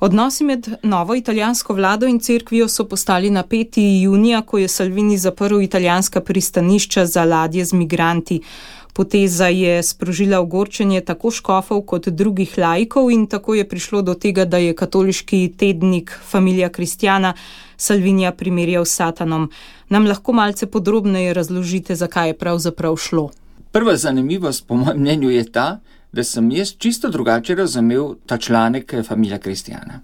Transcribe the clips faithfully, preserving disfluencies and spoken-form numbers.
Odnosi med novo italijansko vlado in cerkvijo so postali napeti junija, ko je Salvini zaprl italijanska pristanišča za ladje z migranti. Poteza je sprožila ogorčenje tako škofov kot drugih laikov in tako je prišlo do tega, da je katoliški tednik Familia Cristiana Salvinija primerjal s Satanom. Nam lahko malce podrobneje razložite, zakaj je pravzaprav šlo? Prva zanimivost po mojem mnenju je ta, da sem jaz čisto drugače razumel ta članek Familia Cristiana.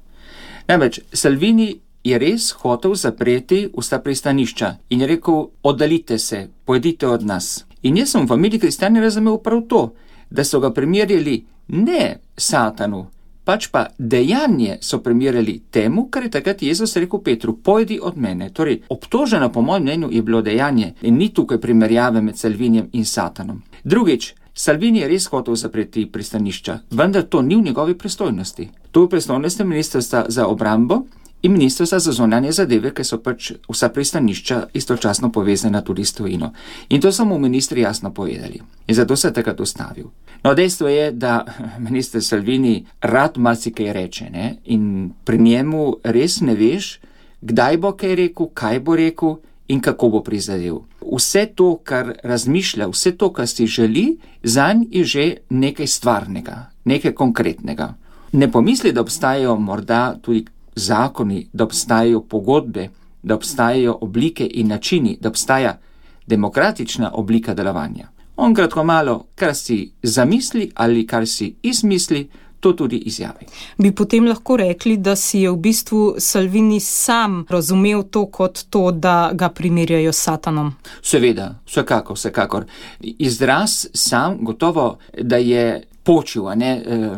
Namreč, Salvini je res hotel zapreti vsa pristanišča in je rekel, oddalite se, pojdite od nas. In jaz sem v Familii Cristiani razumel prav to, da so ga primerjali ne Satanu, pač pa dejanje so primerjali temu, kar je takrat Jezus rekel Petru, pojdi od mene. Torej, obtoženo po mojem mnenju je bilo dejanje in ni tukaj primerjave med Salvinijem in Satanom. Drugič, Salvini je res hotel zapreti pristanišča, vendar to ni v njegovi pristojnosti. To je v pristojnosti ministrstva za obrambo in ministrstva za zunanje zadeve, ker so pač vsa pristanišča istočasno povezana tudi s tujino. In to so mu ministri jasno povedali. In zato se je takrat ustavil. No, dejstvo je, da minister Salvini rad marsikaj reče, ne? In pri njemu res ne veš, kdaj bo kaj rekel, kaj bo rekel in kako bo prizadel. Vse to, kar razmišlja, vse to, kar si želi, zanj je že nekaj stvarnega, nekaj konkretnega. Ne pomisli, da obstajajo morda tudi zakoni, da obstajajo pogodbe, da obstajajo oblike in načini, da obstaja demokratična oblika delovanja. On kratko malo, kar si zamisli ali kar si izmisli, to tudi izjavi. Bi potem lahko rekli, da si je v bistvu Salvini sam razumel to kot to, da ga primerjajo s Satanom? Seveda, vsekakor, vsekakor. Izraz sam gotovo, da je počil, a ne... Eh,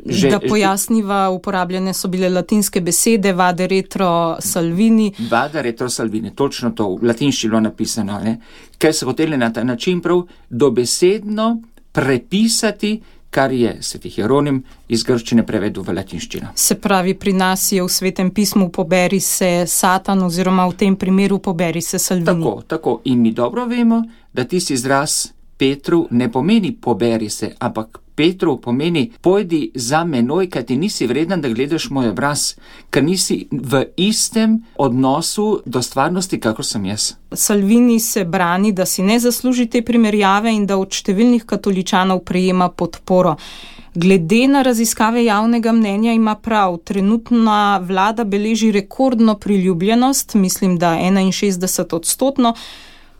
Že, da pojasniva, uporabljene so bile latinske besede, vade retro Salvini. Vade retro Salvini, točno to, v latinščini bilo napisano, ne? Ker so hoteli na ta način prav dobesedno prepisati, kar je sveti Hieronim iz grščine prevedel v latinščino. Se pravi, pri nas je v Svetem pismu poberi se Satan oziroma v tem primeru poberi se Salvini. Tako, tako. In mi dobro vemo, da tisti izraz Petru ne pomeni poberi se, ampak Petru pomeni, pojdi za menoj, kaj ti nisi vreden, da gledaš moj obraz, ker nisi v istem odnosu do stvarnosti, kakor sem jaz. Salvini se brani, da si ne zasluži te primerjave in da od številnih katoličanov prejema podporo. Glede na raziskave javnega mnenja ima prav, trenutna vlada beleži rekordno priljubljenost, mislim, da enainšestdeset odstotno.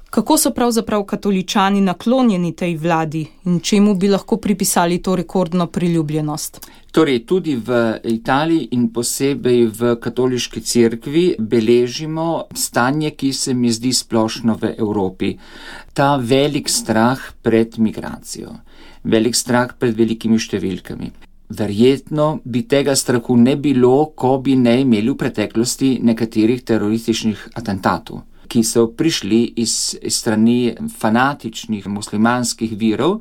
Kako so pravzaprav katoličani naklonjeni tej vladi in čemu bi lahko pripisali to rekordno priljubljenost? Torej, tudi v Italiji in posebej v katoliški cerkvi beležimo stanje, ki se mi zdi splošno v Evropi. Ta velik strah pred migracijo, velik strah pred velikimi številkami. Verjetno bi tega strahu ne bilo, ko bi ne imeli v preteklosti nekaterih terorističnih atentatov, ki so prišli iz, iz strani fanatičnih muslimanskih virov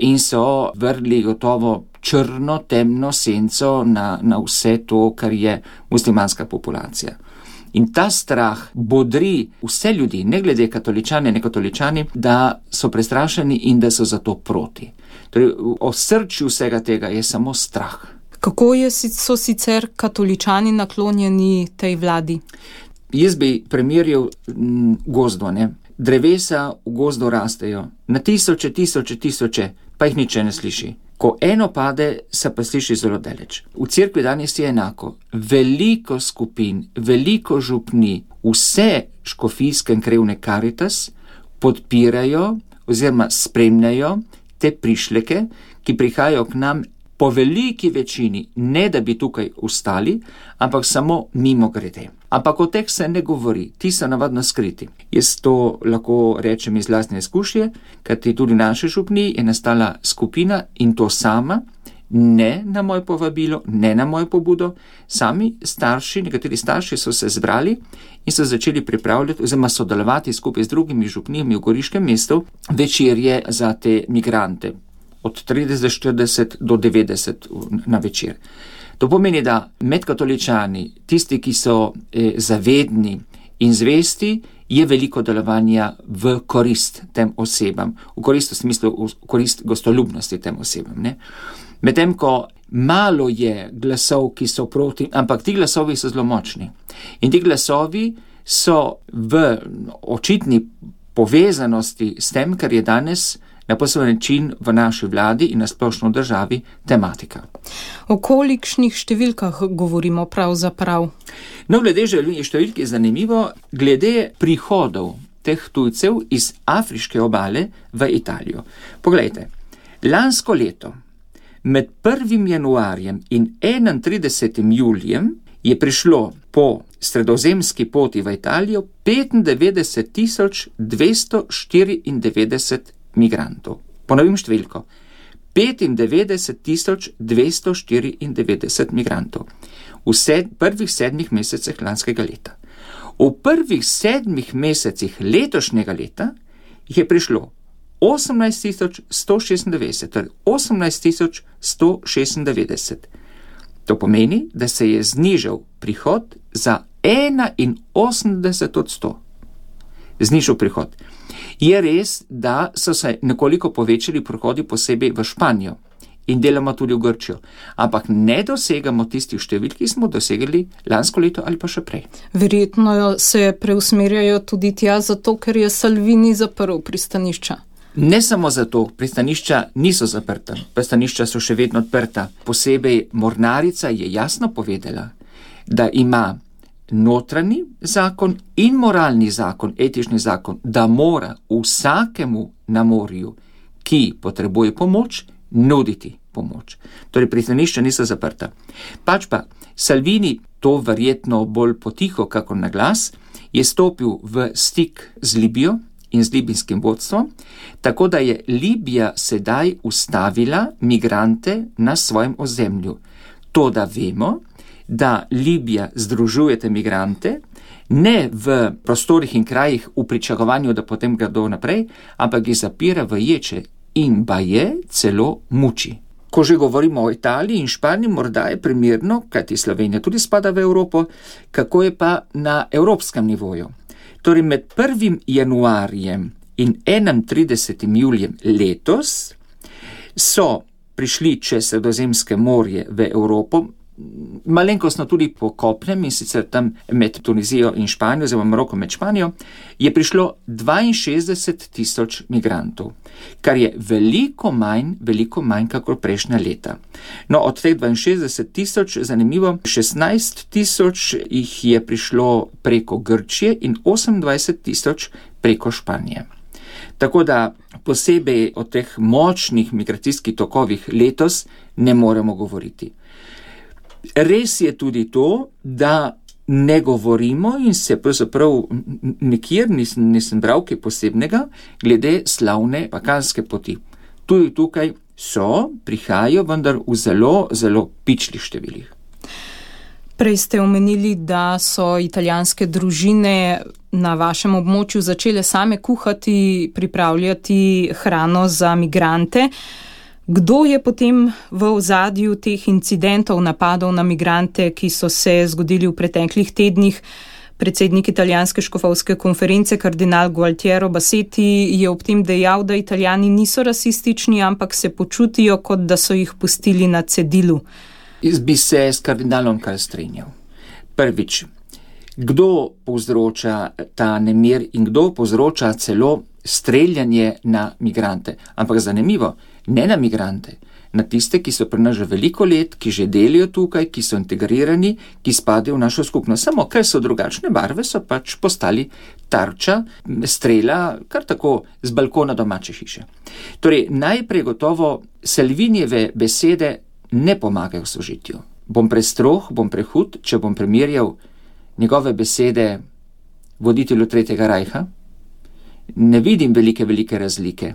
in so vrli gotovo črno, temno senco na, na vse to, kar je muslimanska populacija. In ta strah bodri vse ljudi, ne glede katoličane, ne katoličani, da so prestrašeni in da so zato proti. Torej, v osrčju vsega tega je samo strah. Kako je, so sicer katoličani naklonjeni tej vladi? Jaz bi primerjal gozdo, ne. Drevesa v gozdu rastejo, na tisoče, tisoče, tisoče, pa jih niče ne sliši. Ko eno pade, se pa sliši zelo daleč. V cerkvi danes je enako. Veliko skupin, veliko župni, vse škofijske in krevne Caritas podpirajo oziroma spremljajo te prišleke, ki prihajajo k nam po veliki večini, ne da bi tukaj ustali, ampak samo mimo grede. Ampak o teh se ne govori, ti so navadno skriti. Jaz to lahko rečem iz lastne izkušnje, kajti tudi naše župni je nastala skupina in to sama, ne na moje povabilo, ne na mojo pobudo, sami starši, nekateri starši so se zbrali in so začeli pripravljati oziroma sodelovati skupaj z drugimi župnijami v Goriškem mestu večerje za te migrante. Od trideset, štirideset do devetdeset na večer. To pomeni, da med katoličani, tisti, ki so eh, zavedni in zvesti, je veliko delovanja v korist tem osebam, v korist v smislu, v korist gostoljubnosti tem osebam. Ne? Medtem, ko malo je glasov, ki so proti, ampak ti glasovi so zelo močni. In ti glasovi so v očitni povezanosti s tem, kar je danes na poseben način v naši vladi in na splošno državi tematika. O kolikšnih številkah govorimo pravzaprav? No, glede številk je zanimivo, glede prihodov teh tujcev iz afriške obale v Italijo. Poglejte, lansko leto med prvim januarjem in enaintridesetim julijem je prišlo po sredozemski poti v Italijo petindevetdeset tisoč dvesto štiriindevetdeset migrantov. Ponovim številko. petindevetdeset tisoč dvesto štiriindevetdeset migrantov v sed, prvih sedmih mesecih lanskega leta. V prvih sedmih mesecih letošnjega leta jih je prišlo osemnajst tisoč sto šestindevetdeset, torej osemnajst tisoč sto šestindevetdeset. To pomeni, da se je znižal prihod za enainosemdeset odstotkov. Znižal prihod. Je res, da so se nekoliko povečali prihodi posebej v Španijo in deloma tudi v Grčijo, ampak ne dosegamo tistih številk, ki smo dosegali lansko leto ali pa še prej. Verjetno se preusmerjajo tudi tja zato, ker je Salvini zaprl pristanišča. Ne samo zato, pristanišča niso zaprta, pristanišča so še vedno odprta. Posebej mornarica je jasno povedala, da ima notranji zakon in moralni zakon, etični zakon, da mora vsakemu na morju, ki potrebuje pomoč, nuditi pomoč. Torej, pristanišča niso zaprta. Pač pa Salvini, to verjetno bolj potiho, kako na glas, je stopil v stik z Libijo in z libijskim vodstvom, tako da je Libija sedaj ustavila migrante na svojem ozemlju. To, da vemo, da Libija združuje te migrante, ne v prostorih in krajih v pričakovanju, da potem gredo naprej, ampak jih zapira v ječe in baje celo muči. Ko že govorimo o Italiji in Španiji, morda je primerno, kajti Slovenija tudi spada v Evropo, kako je pa na evropskem nivoju. Torej med prvim januarjem in enaintridesetim julijem letos so prišli čez Sredozemske morje v Evropo, malenkostno tudi po kopnem, in sicer tam med Tunizijo in Španijo, oziroma Maroko med Španijo, je prišlo dvainšestdeset tisoč migrantov, kar je veliko manj, veliko manj kakor prejšnja leta. No, od teh dvainšestdeset tisoč, zanimivo, šestnajst tisoč jih je prišlo preko Grčije in osemindvajset tisoč preko Španije. Tako da posebej o teh močnih migracijskih tokovih letos ne moremo govoriti. Res je tudi to, da ne govorimo in se pravzaprav nikjer nisem, nisem bral kaj posebnega glede slavne balkanske poti. Tudi tukaj so, prihajajo, vendar v zelo, zelo pičlih številih. Prej ste omenili, da so italijanske družine na vašem območju začele same kuhati, pripravljati hrano za migrante. Kdo je potem v ozadju teh incidentov, napadov na migrante, ki so se zgodili v preteklih tednih? Predsednik italijanske škofovske konference, kardinal Gualtiero Bassetti, je ob tem dejal, da Italijani niso rasistični, ampak se počutijo, kot da so jih pustili na cedilu. Jaz bi se s kardinalom kar strinjal. Prvič, kdo povzroča ta nemir in kdo povzroča celo streljanje na migrante? Ampak zanimivo, ne na migrante, na tiste, ki so pri nas že veliko let, ki že delijo tukaj, ki so integrirani, ki spadajo v našo skupnost. Samo ker so drugačne barve, so pač postali tarča strela kar tako z balkona domače hiše. Torej, najprej gotovo Salvinijeve besede ne pomagajo v sožitju. Bom prestrog, bom prehud, če bom primerjal njegove besede voditelju Tretjega rajha. Ne vidim velike, velike razlike.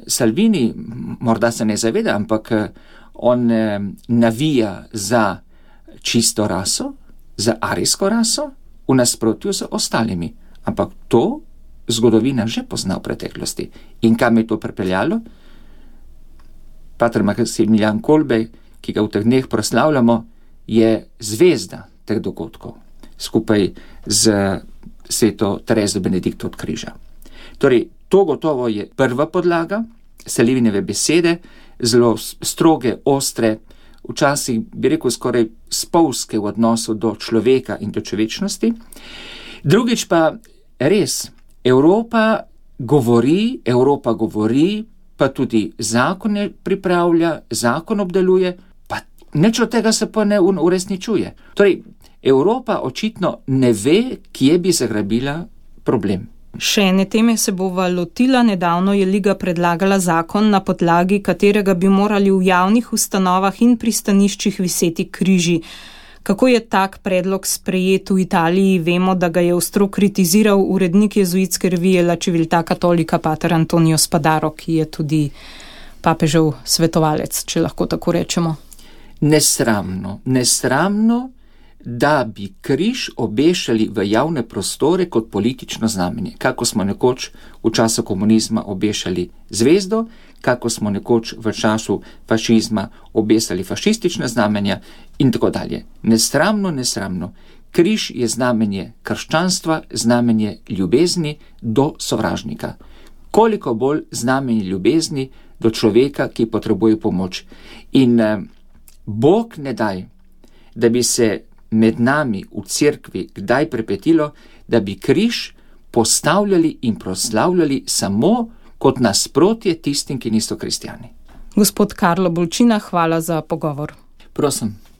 Salvini morda se ne zaveda, ampak on navija za čisto raso, za arijsko raso, v nasprotju z ostalimi. Ampak to zgodovina že pozna v preteklosti. In kam je to pripeljalo? Pater Maksimilijan Kolbe, ki ga v teh dneh proslavljamo, je zvezda teh dogodkov, skupaj z sveto Terezo Benedikto od križa. Torej, to gotovo je prva podlaga, Salvinijeve besede, zelo stroge, ostre, včasih, bi rekel, skoraj spolzke v odnosu do človeka in do človečnosti. Drugič pa res, Evropa govori, Evropa govori, pa tudi zakone pripravlja, zakon obdeluje, pa nič od tega se pa ne uresničuje. Torej, Evropa očitno ne ve, kje bi zagrabila problem. Še ene teme se bova lotila. Nedavno je Liga predlagala zakon, na podlagi katerega bi morali v javnih ustanovah in pristaniščih viseti križi. Kako je tak predlog sprejet v Italiji? Vemo, da ga je ostro kritiziral urednik jezuitske revije La Civiltà Cattolica pater Antonio Spadaro, ki je tudi papežev svetovalec, če lahko tako rečemo. Nesramno, nesramno, da bi križ obešali v javne prostore kot politično znamenje, kako smo nekoč v času komunizma obešali zvezdo, kako smo nekoč v času fašizma obesali fašistične znamenja in tako dalje. Nesramno, nesramno. Križ je znamenje krščanstva, znamenje ljubezni do sovražnika. Koliko bolj znamenje ljubezni do človeka, ki potrebuje pomoč. In eh, Bog ne daj, da bi se med nami v cerkvi kdaj prepetilo, da bi križ postavljali in proslavljali samo kot nasprotje tistim, ki niso kristjani. Gospod Karlo Bolčina, hvala za pogovor. Prosim.